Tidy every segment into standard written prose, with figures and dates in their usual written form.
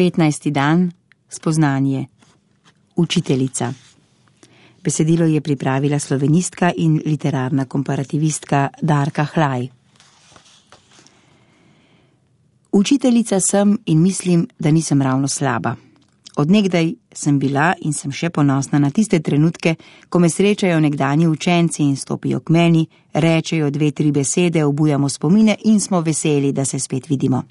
15. dan, spoznanje. Učiteljica. Besedilo je pripravila slovenistka in literarna komparativistka Darka Hlaj. Učiteljica sem in mislim, da nisem ravno slaba. Od nekdaj sem bila in sem še ponosna na tiste trenutke, ko me srečajo nekdanji učenci in stopijo k meni, rečejo 2-3 besede, obujamo spomine in smo veseli, da se spet vidimo.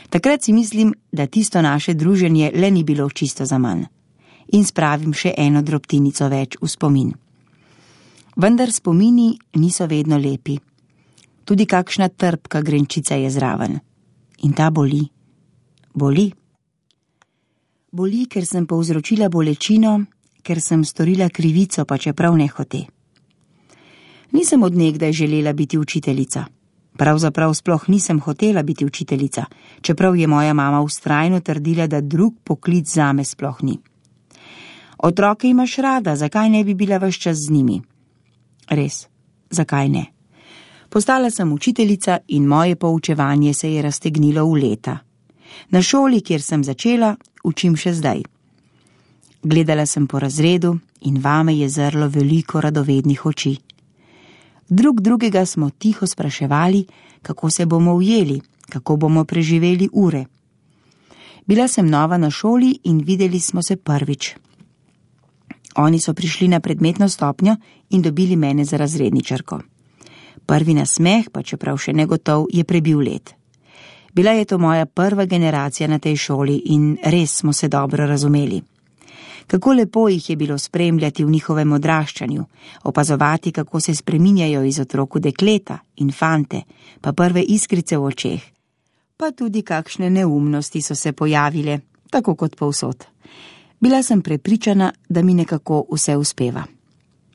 Takrat si mislim, da tisto naše druženje le ni bilo čisto zaman. In spravim še eno drobtinico več v spomin. Vendar spomini niso vedno lepi. Tudi kakšna trpka grenčica je zraven. In ta boli. Boli. Boli, ker sem povzročila bolečino, ker sem storila krivico, pa čeprav nehote. Nisem od nekdaj želela biti učiteljica. Pravzaprav sploh nisem hotela biti učiteljica, čeprav je moja mama vztrajno trdila, da drug poklic zame sploh ni. Otroke imaš rada, zakaj ne bi bila ves čas z njimi? Res, zakaj ne? Postala sem učiteljica in moje poučevanje se je raztegnilo v leta. Na šoli, kjer sem začela, učim še zdaj. Gledala sem po razredu in vame je zrlo veliko radovednih oči. Drug drugega smo tiho spraševali, kako se bomo ujeli, kako bomo preživeli ure. Bila sem nova na šoli in videli smo se prvič. Oni so prišli na predmetno stopnjo in dobili mene za razredničarko. Prvi nasmeh, pa čeprav še negotov, je prebil let. Bila je to moja prva generacija na tej šoli in res smo se dobro razumeli. Kako lepo jih je bilo spremljati v njihovem odraščanju, opazovati, kako se spreminjajo iz otrok v dekleta in fante, pa prve iskrice v očeh. Pa tudi kakšne neumnosti so se pojavile, tako kot povsod. Bila sem prepričana, da mi nekako vse uspeva.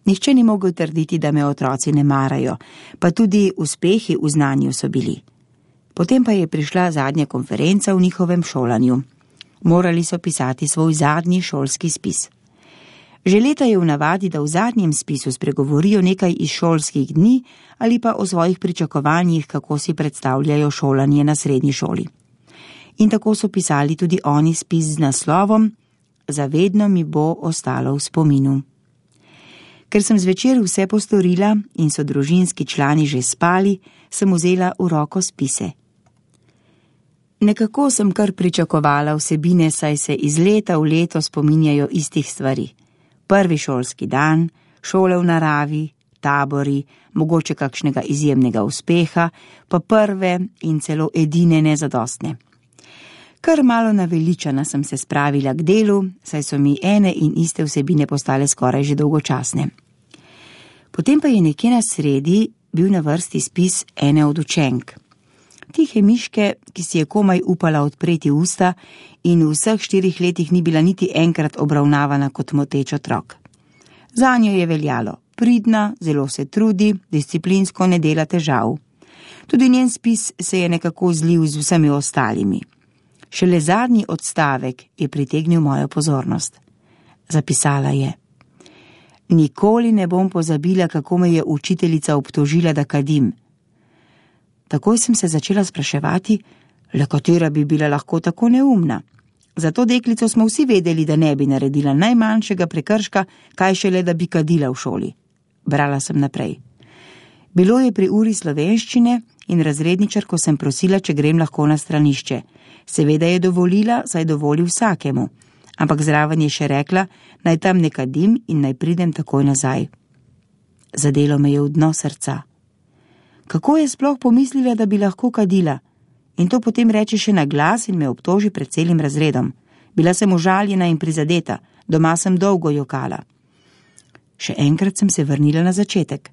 Nihče ni mogel trditi, da me otroci ne marajo, pa tudi uspehi v znanju so bili. Potem pa je prišla zadnja konferenca v njihovem šolanju. Morali so pisati svoj zadnji šolski spis. Že leta je v navadi, da v zadnjem spisu spregovorijo nekaj iz šolskih dni ali pa o svojih pričakovanjih, kako si predstavljajo šolanje na srednji šoli. In tako so pisali tudi oni spis z naslovom Zavedno mi bo ostalo v spominu. Ker sem zvečer vse postorila in so družinski člani že spali, sem vzela v roko spise. Nekako sem kar pričakovala vsebine, saj se iz leta v leto spominjajo istih stvari. Prvi šolski dan, šole v naravi, tabori, mogoče kakšnega izjemnega uspeha, pa prve in celo edine nezadostne. Kar malo naveličana sem se spravila k delu, saj so mi ene in iste vsebine postale skoraj že dolgočasne. Potem pa je nekje na sredi bil na vrsti spis ene od učenk. Tihe miške, ki si je komaj upala odpreti usta in v vseh 4 letih ni bila niti enkrat obravnavana kot moteč otrok. Zanjo je veljalo, pridna, zelo se trudi, disciplinsko ne dela težav. Tudi njen spis se je nekako zlil z vsemi ostalimi. Šele zadnji odstavek je pritegnil mojo pozornost. Zapisala je: Nikoli ne bom pozabila, kako me je učiteljica obtožila, da kadim. Takoj sem se začela spraševati, le katera bi bila lahko tako neumna. Za to deklico smo vsi vedeli, da ne bi naredila najmanjšega prekrška, kaj šele, da bi kadila v šoli. Brala sem naprej. Bilo je pri uri slovenščine in razredničarko sem prosila, če grem lahko na stranišče. Seveda je dovolila, saj dovoli vsakemu, ampak zraven je še rekla, naj tam ne kadim in naj pridem takoj nazaj. Zadelo me je v dno srca. Kako je sploh pomislila, da bi lahko kadila? In to potem reče še na glas in me obtoži pred celim razredom. Bila sem užaljena in prizadeta, doma sem dolgo jokala. Še enkrat sem se vrnila na začetek.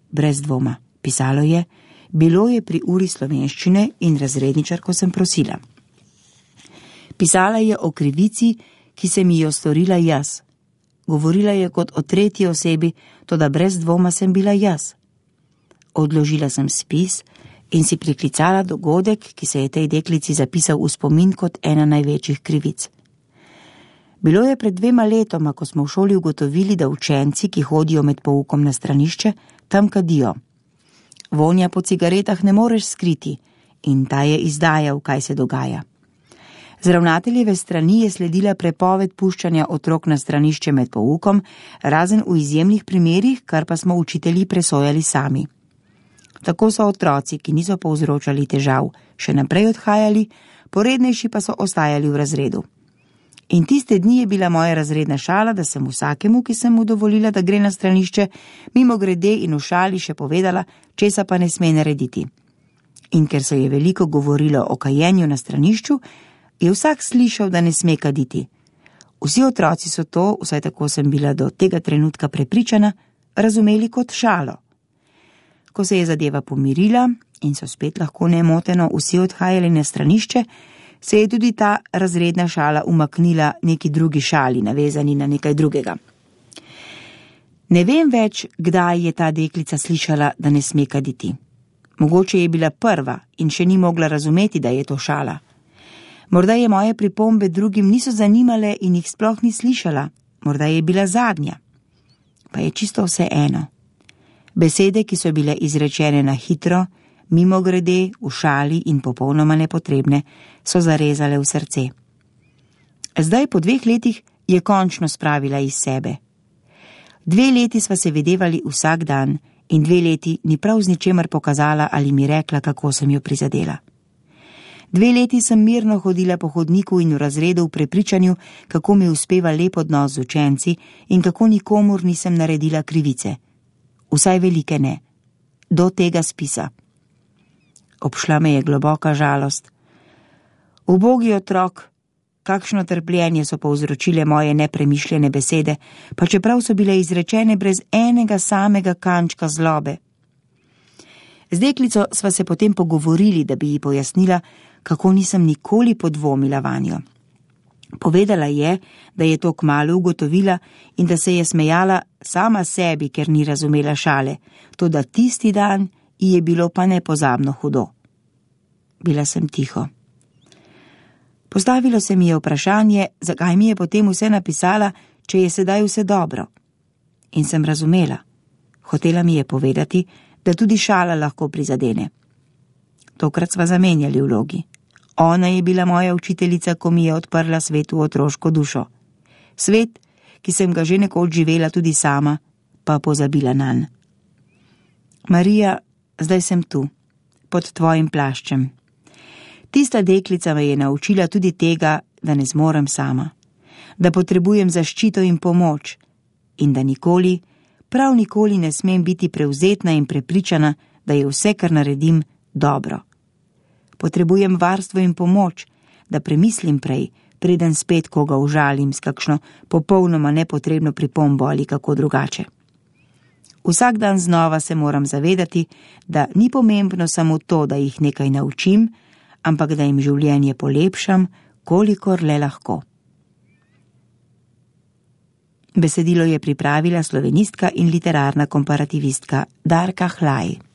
Brez dvoma, pisalo je, bilo je pri uri slovenščine in razredničarko sem prosila. Pisala je o krivici, ki se mi jo storila jaz. Govorila je kot o tretji osebi, toda brez dvoma sem bila jaz. Odložila sem spis in si priklicala dogodek, ki se je tej deklici zapisal v spomin kot ena največjih krivic. Bilo je pred 2 letoma, ko smo v šoli ugotovili, da učenci, ki hodijo med poukom na stranišče, tam kadijo. Vonja po cigaretah ne moreš skriti in ta je izdajal, kaj se dogaja. Z ravnateljeve strani je sledila prepoved puščanja otrok na stranišče med poukom, razen v izjemnih primerih, kar pa smo učitelji presojali sami. Tako so otroci, ki niso povzročali težav, še naprej odhajali, porednejši pa so ostajali v razredu. In tiste dni je bila moja razredna šala, da sem vsakemu, ki sem mu dovolila, da gre na stranišče, mimogrede in v šali še povedala, česa pa ne sme narediti. In ker se je veliko govorilo o kajenju na stranišču, je vsak slišal, da ne sme kaditi. Vsi otroci so to, vsaj tako sem bila do tega trenutka prepričana, razumeli kot šalo. Ko se je zadeva pomirila in so spet lahko nemoteno vsi odhajali na stranišče, se je tudi ta razredna šala umaknila neki drugi šali, navezani na nekaj drugega. Ne vem več, kdaj je ta deklica slišala, da ne sme kaditi. Mogoče je bila prva in še ni mogla razumeti, da je to šala. Morda je moje pripombe drugim niso zanimale in jih sploh ni slišala, morda je bila zadnja. Pa je čisto vse eno. Besede, ki so bile izrečene na hitro, mimogrede, v šali in popolnoma nepotrebne, so zarezale v srce. Zdaj, po 2 letih, je končno spravila iz sebe. 2 leti sva se videvali vsak dan in 2 leti ni prav z ničemer pokazala ali mi rekla, kako sem jo prizadela. 2 leti sem mirno hodila po hodniku in v razredu v prepričanju, kako mi uspeva lep odnos z učenci in kako nikomur nisem naredila krivice. Vsaj velike ne. Do tega spisa. Obšla me je globoka žalost. Ubogi otrok, kakšno trpljenje so povzročile moje nepremišljene besede, pa čeprav so bile izrečene brez enega samega kančka zlobe. Z deklico sva se potem pogovorili, da bi ji pojasnila, kako nisem nikoli podvomila vanjo. Povedala je, da je to kmalu ugotovila in da se je smejala sama sebi, ker ni razumela šale, toda tisti dan ji je bilo pa nepozabno hudo. Bila sem tiho. Postavilo se mi je vprašanje, zakaj mi je potem vse napisala, če je sedaj vse dobro. In sem razumela. Hotela mi je povedati, da tudi šala lahko prizadene. Tokrat sva zamenjali vlogi. Ona je bila moja učiteljica, ko mi je odprla svet v otroško dušo. Svet, ki sem ga že nekoč živela tudi sama, pa pozabila nanj. Marija, zdaj sem tu, pod tvojim plaščem. Tista deklica me je naučila tudi tega, da ne zmorem sama, da potrebujem zaščito in pomoč in da nikoli, prav nikoli ne smem biti prevzetna in prepričana, da je vse, kar naredim, dobro. Potrebujem varstvo in pomoč, da premislim prej, preden spet koga užalim s kakšno popolnoma nepotrebno pripombo ali kako drugače. Vsak dan znova se moram zavedati, da ni pomembno samo to, da jih nekaj naučim, ampak da jim življenje polepšam, kolikor le lahko. Besedilo je pripravila slovenistka in literarna komparativistka Darka Hlaj.